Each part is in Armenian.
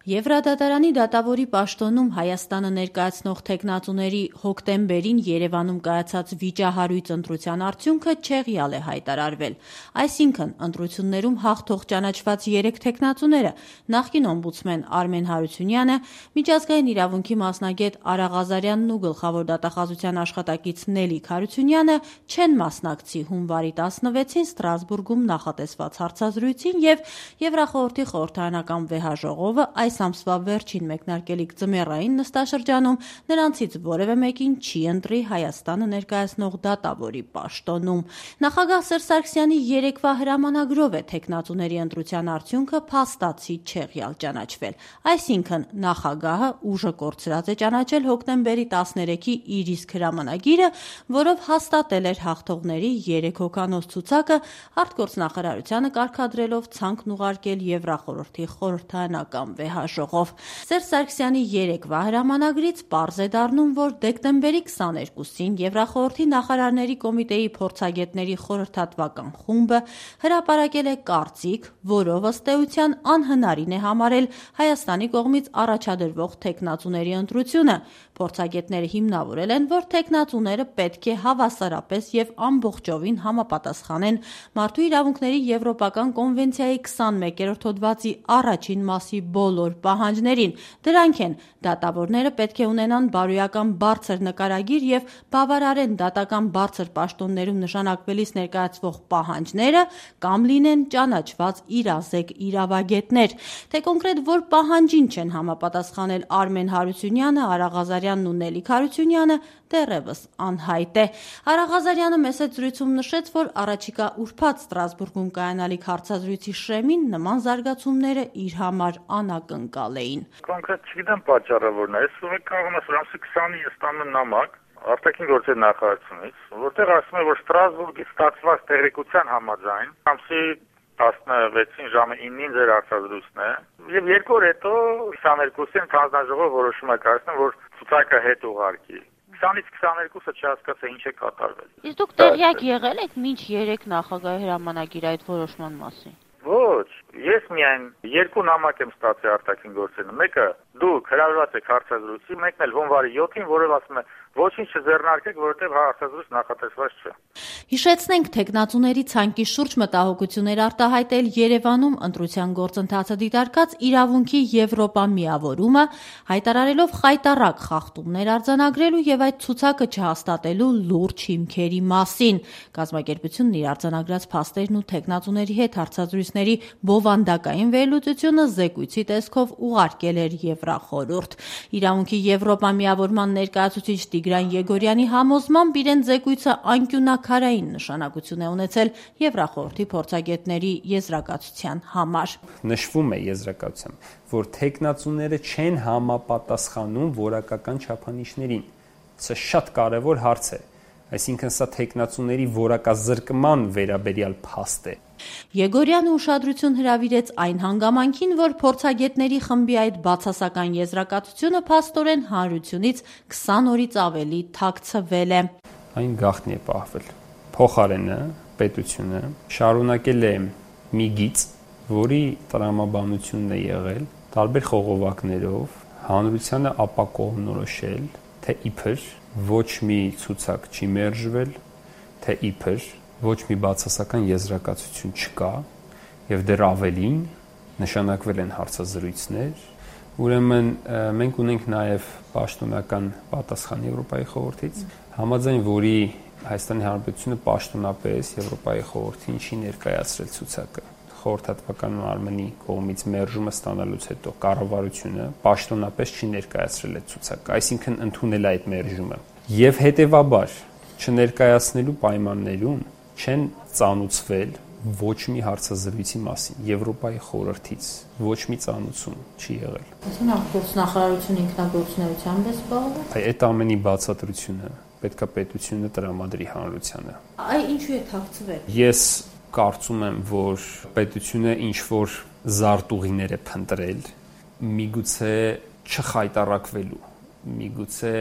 Եվրադատարանի դատավորի պաշտոնում Հայաստանը ներկայացնող թեկնածուների հոկտեմբերին Երևանում կայացած վիճահարույց ընտրության արդյունքը չեղյալ է հայտարարվել։ Այսինքն, ընտրություններում հաղթող ճանաչված 3 թեկնածուները՝ նախկին օմբուդսմեն Արմեն Հարությունյանը, միջազգային իրավունքի մասնագետ Արա Ղազարյանն ու գլխավոր դատախազության աշխատակից Նելիք Հարությունյանը չեն մասնակցի հունվարի 16-ին Ստրասբուրգում նախատեսված հարցազրույցին և Եվրախորհրդի խորհրդարանական վեհաժողովը այս ամսվա վերջին մեկնարկելիք ձմեռային նստաշրջանում նրանցից որևէ մեկին չի ընտրի Հայաստանը ներկայացնող դատավորի պաշտոնում։ Նախագահ Սերժ Սարգսյանի երեկվա հրամանագրով է թեկնածուների ընտրության արդյունքը փաստացի չեղյալ ճանաչվել։ Այսինքն, նախագահը ուժը կորցրած է ճանաչել հոկտեմբերի 13-ի իր իսկ հրամանագիրը, որով հաստատել էր հաղթողների 3 հոգանոց ցուցակը, արտգործնախարարությանը կարգադրելով ցանկն ուղարկել Եվրախորհրդի խորհրդարանական վեհաժողով։ Սերժ Սարգսյանի երեկվա հրամանագրից պարզ է դառնում, որ դեկտեմբերի 22-ին Եվրախորհրդի նախարարների կոմիտեի փորձագետների խորհրդատվական խումբը հրապարակել է կարծիք, որով ըստ էության անհնարին է համարել Հայաստանի կողմից առաջադրվող թեկնածուների ընտրությունը։ Փորձագետները հիմնավորել են, որ թեկնածուները պետք է հավասարապես և ամբողջովին համապատասխանեն Մարդու իրավունքների Եվրոպական կոնվենցիայի 21-րդ հոդվածի առաջին մասի բոլոր պահանջներին։ Դրանք են՝ դատավորները պետք է ունենան բարոյական բարձր նկարագիր և բավարարեն դատական բարձր պաշտոններում նշանակվելիս ներկայացվող պահանջները կամ լինեն ճանաչված իրազեկ իրավագետներ։ Թե կոնկրետ որ պահանջին չեն համապատասխանել Արմեն Հարությունյանը, Արա Ղազարյանն ու Նելիք Հարությունյանը, դեռևս անհայտ է։ Արա Ղազարյանը մեծ զրույցում նշեց, որ առաջիկա ուրբաթ Ստրասբուրգում կայանալիք հարցազրույցի շեմին նման զարգացումները իր համար անակնկալ էին։ Կոնկրետ չգիտեմ պատճառը որն է, կարող եմ ասել 20-ի ստանում նամակ արտաքին գործերի նախարարությունից, որտեղ ասում է, որ Ստրասբուրգից ստացված տեղեկության համաձայն ամսի 16-ին ժամը 9-ին ձեր հարցազրույցն է, եւ 2 օր հետո 22-ին հանձնաժողովը որոշում է կայացնում, որ ցուցակը հետ ուղարկի։ 20-ից 22-ը չհասկացա ինչ է կատարվել։ Իսկ դուք տեղյակ եղել եք մինչ 3 նախագահի հրամանագիր այդ որոշման մասին։ Ոչ, ես միայն 2 նամակ եմ ստացել արտաքին գործերից։ Մեկը դուք հրավիրված եք հարցազրույցի, մեկն էլ հունվարի 7-ին, որով ասում է ոչինչ չձեռնարկեք, որովհետև հարցազրույց նախատեսված չէ։ Հիշեցնենք, թեկնածուների ցանկի շուրջ մտահոգություններ արտահայտել Երևանում ընտրության գործընթացը դիտարկած իրավունքի Եվրոպա միավորումը, հայտարարելով խայտառակ խախտումներ արձանագրելու եւ այդ ցուցակը չհաստատելու լուրջ հիմքերի մասին։ Կազմակերպությունն իր արձանագրած փաստերն ու թեկնածուների հետ հարցազրույցների բովանդակային վերլուծությունը զեկույցի տեսքով ուղարկել էր Եվրախորհուրդ։ Իրավունքի Եվրոպա միավորման ներկայացուցիչ Տիգրան Եգորյանի համոզմամբ իրեն զեկույցը անկյունաքարային նշանակություն է ունեցել Եվրախորհրդի փորձագետների եզրակացության համար։ Նշվում է եզրակացությամբ, որ թեկնածուները չեն համապատասխանում որակական չափանիշներին։ Սա շատ կարևոր հարց է։ Այսինքն սա թեկնածուների որակազրկման վերաբերյալ փաստ է։ Եգորյանը ուշադրություն հրավիրեց այն հանգամանքին, որ փորձագետների խմբի այդ բացասական եզրակացությունը փաստորեն հանրությունից 20 օրից ավելի թաքցվել է։ Այն գաղտնի է պահվել։ Փոխարենը պետությունը շարունակել է մի գիծ, որի տրամաբանությունն է եղել տարբեր խողովակներով հանրությանը ապակողմնորոշել, թե իբր ոչ մի ցուցակ չի մերժվել, թե իբր ոչ մի բացասական եզրակացություն չկա եւ դեռ ավելին նշանակվել են հարցազրույցներ։ Ուրեմն մենք ունենք նաեւ պաշտոնական պատասխան Եվրոպայի խորհրդից, համաձայն որի Հայաստանի Հանրապետությունը պաշտոնապես Եվրոպայի խորհրդին չի ներկայացրել ցուցակը։ Խորհրդատվական մարմնի կողմից մերժումը ստանալուց հետո կառավարությունը պաշտոնապես չի ներկայացրել այդ ցուցակը, այսինքն ընդունել այդ մերժումը։ Եվ հետեւաբար չներկայացնելու պայմաններում չեն ծանուցվել ոչ մի հարցազրույցի մասին Եվրոպայի խորհրդից ոչ մի ծանուցում չի եղել։ Այսինքն արտգործնախարարությունը ինքնագործունեությամբ է զբաղվում։ Այդ ամենի բացատրությունը պետքա պետությունը տրամադրի հանրությանը։ Այ ինչու է թաքցվել։ Ես կարծում եմ, որ պետությունը ինչ որ զարտուղիներ է փնտրել, միգուցե չխայտարակվելու, միգուցե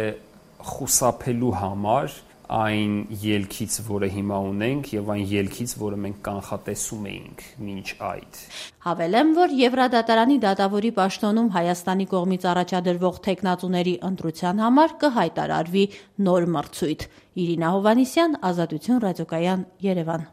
խուսափելու համար այն ելքից, որը հիմա ունենք, եւ այն ելքից, որը մենք կանխատեսում էինք մինչ այդ։ Հավելեմ, որ Եվրադատարանի դատավորի պաշտոնում Հայաստանի կողմից առաջադրվող թեկնածուների ընտրության համար կհայտարարվի նոր մրցույթ։ Իրինա Հովհաննիսյան, Ազատություն ռադիոկայան, Երևան։